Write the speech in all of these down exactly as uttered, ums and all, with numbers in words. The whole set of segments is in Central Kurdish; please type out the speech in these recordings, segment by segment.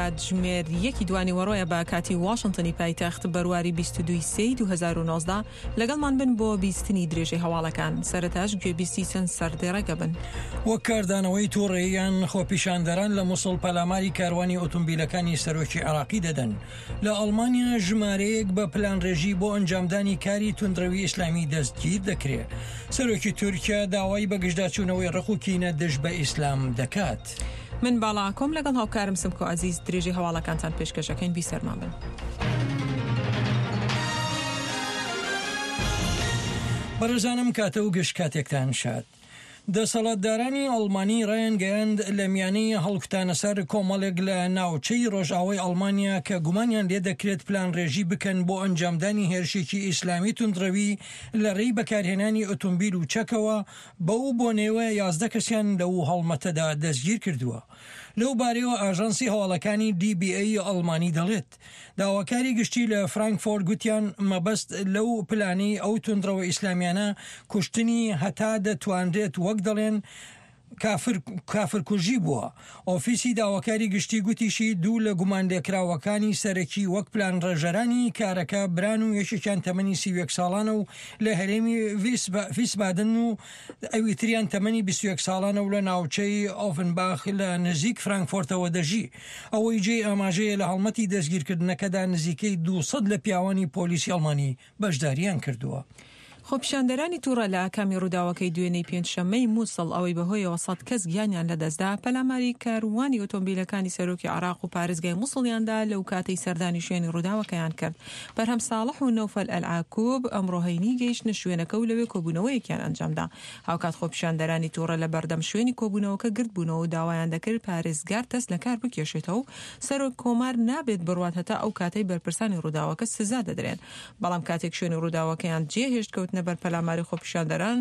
کاتژمێر یەکی دوانیوەڕۆیە بە کاتی واشنتنی پایتەخت بەرواری بیست و دوو سێی دوو هەزار و نۆزدە. لەگەڵمان بن بۆ بیستنی درێژەی هەواڵەکان. سەرەتاش گوێبیستی چەند سەردێڕێکە بن. وەک کاردانەوەی تووڕەییان خۆپیشاندەران لە موسڵ پەلاماری کاروانی ئۆتۆمبیلەکانی سەرۆکی عێراقی دەدەن. لە ئەڵمانیا ژمارەیەک بە پلانڕێژی بۆ ئەنجامدانی کاری توندڕەوی ئیسلامی دەستگیر دەکرێت. سەرۆکی تورکیا داوای بەگژداچوونەوەی ڕق و کینە دژ بە ئیسلام دەکات. من باڵا ئاکۆم لەگەڵ هاوکارم سمکۆ عەزیز درێژەی هەواڵەکانتان پێشکەشەکەین. بیسەرمان بن. بەڕێزانم کاتە و گشت کاتێکتان شاد. دەسەڵاتدارانی ئەڵمانی ڕایانگەیاند لە میانەی هەڵکوتانە سەر کۆمەڵێک لە ناوچەی ڕۆژئاوای ئەڵمانیا کە گومانیان لێ دەکرێت پلانڕێژی بکەن بۆ ئەنجامدانی هێرشێکی ئیسلامی توندڕەوی لە ڕێی بەکارهێنانی ئۆتۆمبیل و چەکەوە، بەو بۆنەیەوە یازدە کەسیان لەو هەڵمەتەدا دەستگیر کردووە. لەو بارەیەوە ئاژانسی هەواڵەکانی دی بی ئەی ئەڵمانی دەڵێت داواکاری گشتی لە فرانکفۆرت گوتیان مەبەست لەو پلانەی ئەو توندڕەوە ئیسلامیانە کوشتنی هەتا دەتوانرێت وەک دەڵێن کافر کافرکوژی بووە. ئۆفیسی داواکاری گشتی گوتیشی دوو لە گومانلێکراوەکانی سەرەکی وەک پلانڕێژەرانی کارەکە بران و یەکێکیان تەمەنی سی و یەک ساڵانە و لە هەرێمی ڤیسبادن و ئەوی تریان تەمەنی بیست و یەک ساڵانە و لە ناوچەی ئۆفنباخ لە نزیک فرانکفۆرتەوە دەژی. ئەوەی جێی ئاماژەیە لە هەڵمەتی دەستگیرکردنەکەدا نزیکەی دووسەد لە پیاوانی پۆلیسی ئەڵمانی بەشداریان کردووە. خۆپیشاندەرانی تووڕە لە ئاکامی ڕووداوەکەی دوێنێی پێنجشەممەی مووسڵ ئەوەی بەهۆیەوە سەد کەس گیانیان لەدەستدا پەلاماری کاروانی ئۆتۆمبیلەکانی سەرۆکی عێراق و پارێزگای مووسڵیاندا لەو کاتەی سەردانی شوێنی ڕووداوەکەیان کرد. بەرهەم ساڵح و نەوفەل ئەلعاکوب ئەمڕۆ هەینی گەیشتنە شوێنەکە و لەوێ کۆبوونەوەیەکیان ئەنجامدا. هاوکات خۆپیشاندەرانی تووڕە لە بەردەم شوێنی کۆبوونەوەکە گردبوونەوە و داوایان دەکرد پارێزگار دەست لە کار بکێشێتەوە و سەرۆک کۆمار نابێت بڕوات هەتا ئەو کاتەی بەرپرسانی ڕووداوەکە سزا دەدرێن. بەڵام کاتێک شوێنی ڕووداوەکەیان جێهێشت کەوتنە بەر پەلاماری خۆپیشاندەران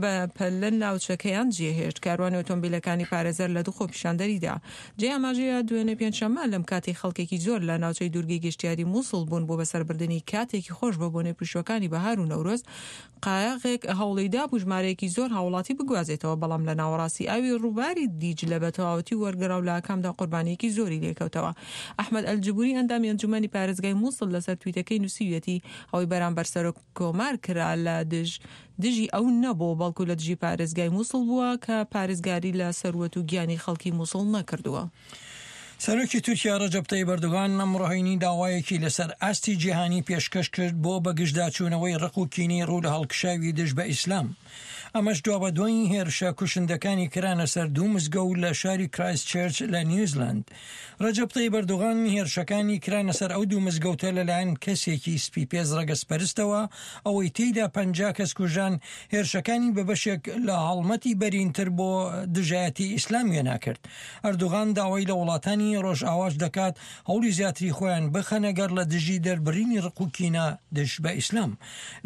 بە پەلە ناوچەکەیان جێهێشت. کاروانی ئۆتۆمبیلەکانی پارێزەر لە دوو خۆپیشاندەریدا. جێ ئاماژەیە دوێنێ پێنجشەممە لەم کاتی خەڵکێکی زۆر لە ناوچەی دوورگەی گەشتیاری مووسڵ بوون بۆ بەسەربردنی کاتێکی خۆش بە بۆنەی پشووەکانی بەهار و نەورۆز. قایەغێک هەوڵیدا بوو ژمارەیەکی زۆر هاوڵاتی بگوازێتەوە، بەڵام لە ناوەڕاستی ئاوی ڕووباری دیجلە بە تەواوەتی وەرگەڕا و لە ئاکامدا قوربانیەکی زۆری لێکەوتەوە. ئەحمەد ئەلجبوری ئەندامی ئەنجومەنی پارێزگای مووسڵ لەسەر تویتەکەی نووسیویەتی ئەوەی بەرامبەر سەرۆک کۆمار کرا لە دژ دژی ئەو نەبوو، بەڵکو لە دژی پارێزگای مووسڵ بووە کە پارێزگاری لە سەروەت و گیانی خەڵکی مووسڵ نەکردووە. سەرۆکی تورکیا ڕەجەب تەیب ئەردۆغان ئەمڕۆ هەینی داوایەکی لەسەر ئاستی جیهانی پێشکەش کرد بۆ بەگژداچوونەوەی ڕق و کینەی ڕوو لە هەڵکشاوی دژ بە ئیسلام. ئەمەش دوابەدوای هێرشە کوشندەکانی کرانە سەر دوو مزگەوت لە شاری کرایست چێرچ لە نیوزلند. ڕەجەب تەیب ئەردۆغان هێرشەکانی کرانە سەر ئەو دوو مزگەوتە لەلایەن کەسێکی سپیپێز ڕەگەزپەرستەوە، ئەوەی تێیدا پەنجا کەس کوژان، هێرشەکانی بە بەشێک لە هەڵمەتی بەرینتر بۆ دژایەتی ئیسلام وێنا کرد. ئەردۆغان داوای لە وڵاتانی ڕۆژئاواش دەکات هەوڵی زیاتری خۆیان بخەنە گەڕ لە دژی دەربڕینی ڕق و کینە دژ بە ئیسلام.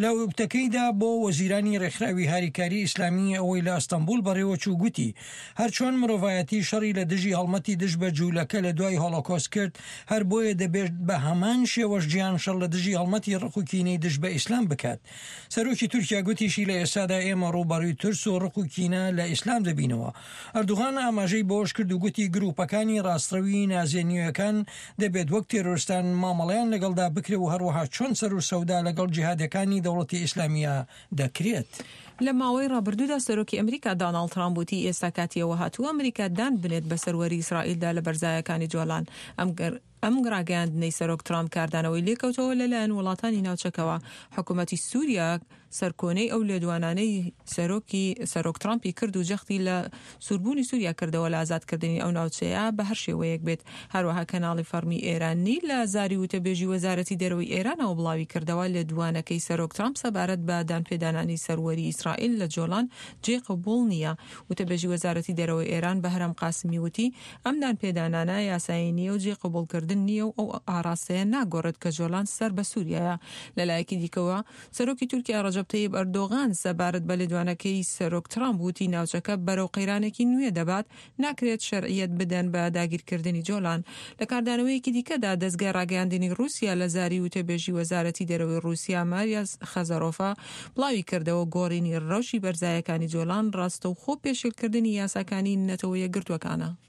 لە وتەکەیدا بۆ وەزیرانی ڕێکخراوی هاریکاری ئیسلامی ئەوەی لە ئەستەنبوڵ بەڕێوەچوو گوتی هەرچۆن مرۆڤایەتی شەڕی لە دژی هەڵمەتی دژ بە جوولەکە لە دوای هۆلۆکۆست کرد، هەر بۆیە دەبێت بە هەمان شێوەش جیهان شەڕ لە دژی هەڵمەتی ڕق و کینەی دژ بە ئیسلام بکات. سەرۆکی تورکیا گوتیشی لە ئێستادا ئێمە ڕووبەڕووی ترس و ڕق و کینە لە ئیسلام دەبینەوە. ئەردۆغان ئاماژەی بەوەش کرد و گوتی گروپەکانی ڕاستڕەوی نازیە نوێیەکان دەبێت وەک تێرۆرستان مامەڵەیان لەگەڵدا بکرێ و هەروەها چۆن سەر و سەودا لەگەڵ جیهادەکانی دەوڵەتی ئیسلامیە دەکرێت. لە ماوەی ڕابردوودا سەرۆکی ئەمریکا داناڵد ترامپ وتی ئێستا کاتیەوە هاتووە ئەمریکا دان بنێت بە سەروەری ئیسرائیلدا لە بەرزایەکانی جۆلان. ئەم ڕاگەیاندنەی سەرۆک ترامپ کاردانەوەی لێکەوتەوە لەلایەن وڵاتانی ناوچەکەوە. حکوومەتی سووریا سەرکۆنەی ئەو لێدوانانەی سەرۆکی سەرۆک ترامپی کرد و جەختی لە سووربوونی سووریا کردەوە لە ئازادکردنی ئەو ناوچەیە بە هەر شێوەیەک بێت. هەروەها کەناڵی فەرمی ئێرانی لە زاری وتەبێژی وەزارەتی دەرەوەی ئێرانەوە بڵاوی کردەوە لێدوانەکەی سەرۆک ترامپ سەبارەت بە دانپێدانانی سەروەری ئیسرائیل لە جۆلان جێ قبوڵ نییە. وتەبێژی وەزارەتی دەرەوەی ئێران بەهرام قاسمی وتی ئەم دانپێدانانە یاسایی نییە و جێ قبوڵکردن نییە و ئەو ئاراستەیە ناگۆڕێت کە جۆلان سەر بە سووریایە. لەلایەکی دیکەوە سەرۆکی تورکیا ڕەجەب تەیب ئەردۆغان سەبارەت بە لێدوانەکەی سەرۆک ترامپ وتی ناوچەکە بەرەو قەیرانێکی نوێ دەبات، ناکرێت شەرعیەت بدەن بە داگیرکردنی جۆلان. لە کاردانەوەیەکی دیکەدا دەزگای ڕاگەیاندنی ڕووسیا لە زاری وتەبێژی وەزارەتی دەرەوەی ڕووسیا ماریا خەزەرۆفا بڵاوی کردەوە گۆڕینی ڕەوشی بەرزایەکانی جۆلان ڕاستەوخۆ پێشێلکردنی یاساکانی نەتەوە یەکگرتووەکانە.